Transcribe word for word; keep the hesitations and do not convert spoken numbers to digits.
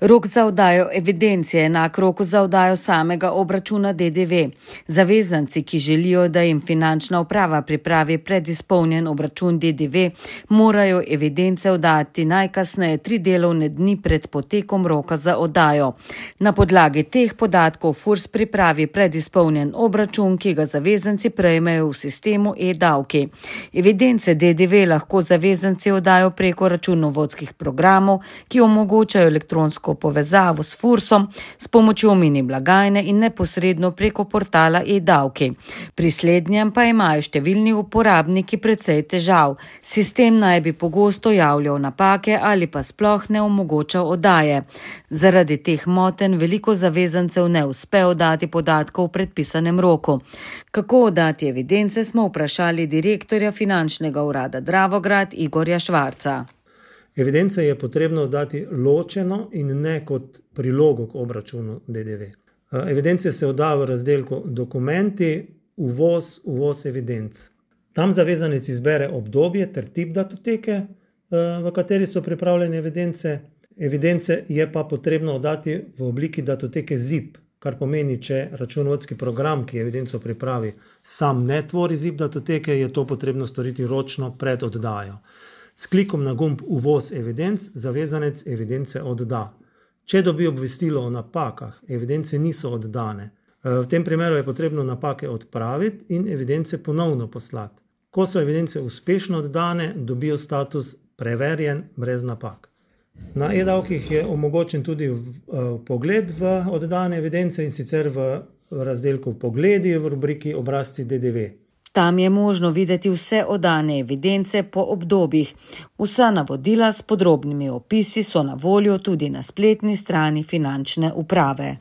Rok za oddajo evidence je enak roku za oddajo samega obračuna D D V. Zavezanci, ki želijo, da jim finančna uprava pripravi predizpolnjen obračun D D V, morajo evidence oddati najkasneje tri delovne dni pred potekom roka za oddajo. Na podlagi teh podatkov FURS pripravi predizpolnjen obračun, ki ga zavezanci prejmejo v sistemu e-davki. Evidence D D V lahko zavezanci oddajo preko računovodskih programov, ki omogočajo elektronsko povezavo s FURSom s pomočjo mini blagajne in neposredno preko portala e-davki. Pri slednjem pa imajo številni uporabniki precej težav. Sistem naj bi pogosto javljal napake ali pa sploh ne omogočal oddaje. Zaradi teh motenj veliko zavezancev ne uspe oddati podatkov v predpisanem roku. Kako oddati evidence, smo vprašali direktorja finančnega urada Dravograd Igorja Švarca. Evidence je potrebno oddati ločeno in ne kot prilogo k obračunu D D V. Evidence se odda v razdelku dokumenti, uvoz, uvoz evidenc. Tam zavezanec izbere obdobje ter tip datoteke, v kateri so pripravljene evidence. Evidence je pa potrebno oddati v obliki datoteke zip, kar pomeni, če računovodski program, ki evidenco pripravi, sam ne tvori zip datoteke, je to potrebno storiti ročno pred oddajo. S klikom na gumb uvoz evidenc zavezanec evidence odda. Če dobi obvestilo o napakah, evidence niso oddane. V tem primeru je potrebno napake odpraviti in evidence ponovno poslati. Ko so evidence uspešno oddane, dobijo status preverjen brez napak. Na e-davkih je omogočen tudi vpogled v oddane evidence in sicer v razdelku Pogledi v rubriki Obrazci D D V. Tam je možno videti vse oddane evidence po obdobjih. Vsa navodila s podrobnimi opisi so na voljo tudi na spletni strani finančne uprave.